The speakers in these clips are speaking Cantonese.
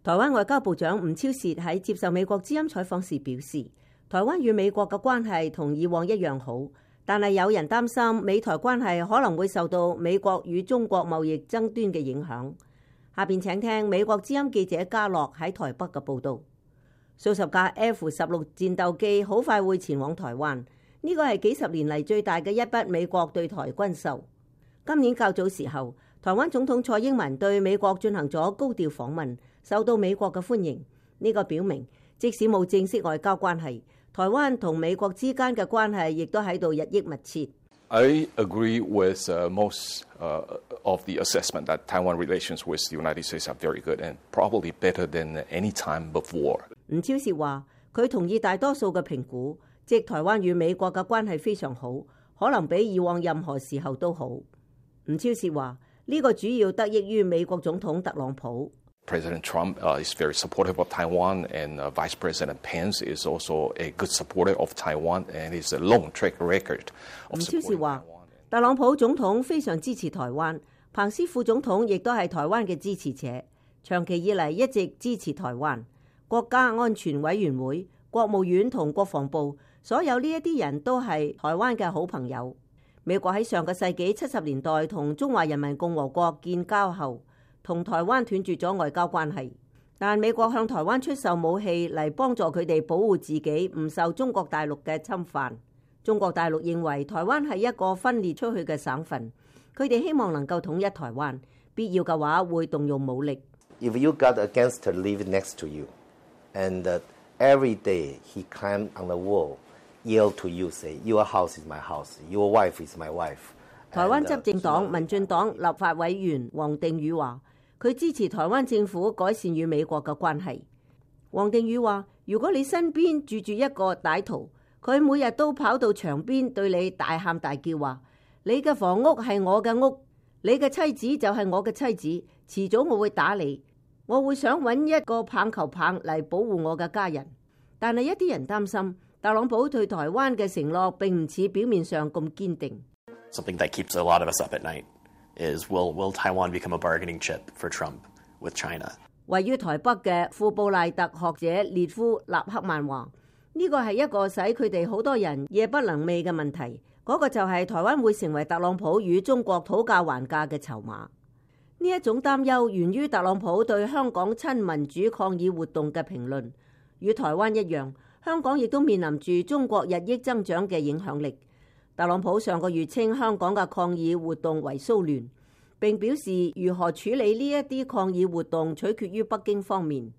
台灣外交部長吳釗燮喺接受美國之音採訪時表示，台灣與美國嘅關係同以往一樣好，但係有人擔心美台關係可能會受到美國與中國貿易爭端嘅影響。下邊請聽美國之音記者嘉樂喺台北嘅報導。數十架 F-16戰鬥機好快會前往台灣，呢個係幾十年嚟最大嘅一筆美國對台軍售。今年較早時候，台灣總統蔡英文對美國進行咗高調訪問，受到美國嘅歡迎。呢個表明，即使冇正式外交關係，台灣同美國之間嘅關係亦都喺度日益密切。I agree with most of the assessment that Taiwan relations with the United States are very good and probably better than any time before. 吳釗燮話：佢同意大多數嘅評估，即台灣與美國嘅關係非常好，可能比以往任何時候都好。吳釗燮話：呢個主要得益於美國總統特朗普。President Trump is very supportive of Taiwan, and Vice President Pence is also a good supporter of Taiwan, and it's a long track record of supporting Taiwan. 吳釗燮話：特朗普總統非常支持台灣，彭斯副總統亦都係台灣嘅支持者，長期以嚟一直支持台灣。國家安全委員會、國務院同國防部，所有呢一啲人都係台灣嘅好朋友。美國喺上個世紀70年代同中華人民共和國建交後，同台灣斷絕咗外交關係，但美國向台灣出售武器嚟幫助佢哋保護自己唔受中國大陸嘅侵犯。中國大陸認為台灣係一個分裂出去嘅省份，佢哋希望能夠統一台灣，必要嘅話會動用武力。If you got a gangster live next to you, and every day he climb on the wall, yell to you, say, your house is my house, your wife is my wife. 台灣執政黨民進黨立法委員王定宇話，佢支持台灣政府改善與美國嘅關係。王定宇話：如果你身邊住住一個歹徒，佢每日都跑到牆邊對你大喊大叫話：你嘅房屋係我嘅屋，你嘅妻子就係我嘅妻子，遲早我會打你，我會想揾一個棒球棒嚟保護我嘅家人。但係一啲人擔心，特朗普對台灣嘅承諾並唔似表面上咁堅定。Something that keeps a lot of us up at night is will Taiwan become a bargaining chip for Trump with China? 位於台北嘅富布賴特學者列夫納克曼話：呢個係一個使佢哋好多人夜不能寐嘅問題。嗰個就係台灣會成為特朗普與中國討價還價嘅籌碼。呢一種擔憂源於特朗普對香港親民主抗議活動嘅評論。與台灣一樣，香港亦都面臨住中國日益增長嘅影響力。特朗普上個月稱香港嘅抗議活動為騷亂，並表示如何處理呢一啲抗議活動取決於北京方面。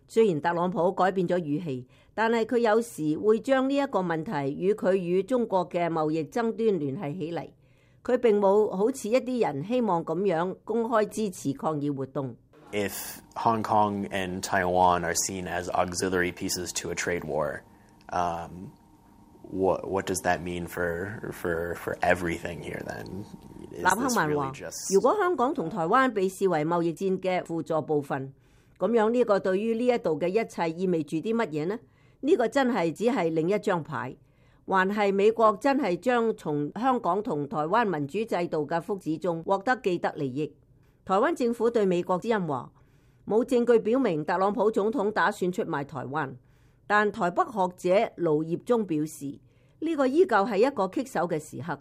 雖然特朗普改變咗語氣，但係佢有時會將呢一個問題與佢與中國嘅貿易爭端聯繫起嚟。佢並冇好似一啲人希望咁樣公開支持抗議活動。If Hong Kong and Taiwan are seen as auxiliary pieces to a trade war, what does that mean for everything here then? 納克曼話：如果香港同台灣被視為貿易戰嘅輔助部分，咁樣呢個對於呢一度嘅一切意味住啲乜嘢呢？呢個真係只係另一張牌，還係美國真係將從香港同台灣民主制度嘅福祉中獲得既得利益？台灣政府對美國之音話：冇證據表明特朗普總統打算出賣台灣。但台北學者盧業忠表示，呢個依舊係一個棘手嘅時刻。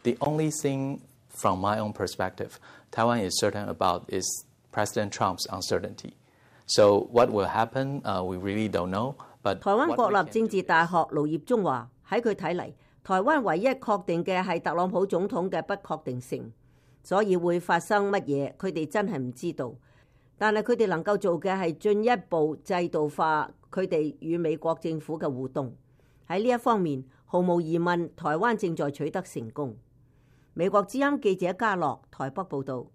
The only thing from my own perspective, Taiwan is certain about is President Trump's uncertainty. So what will happen, we really don't know. But 台灣國立政治大學盧業忠話：喺佢睇嚟，台灣唯一確定嘅係特朗普總統嘅不確定性，所以會發生乜嘢，佢哋真係唔知道。但係佢哋能夠做嘅係進一步制度化佢哋與美國政府嘅互動。喺呢一方面，毫無疑問，台灣正在取得成功。美國之音記者嘉樂台北報導。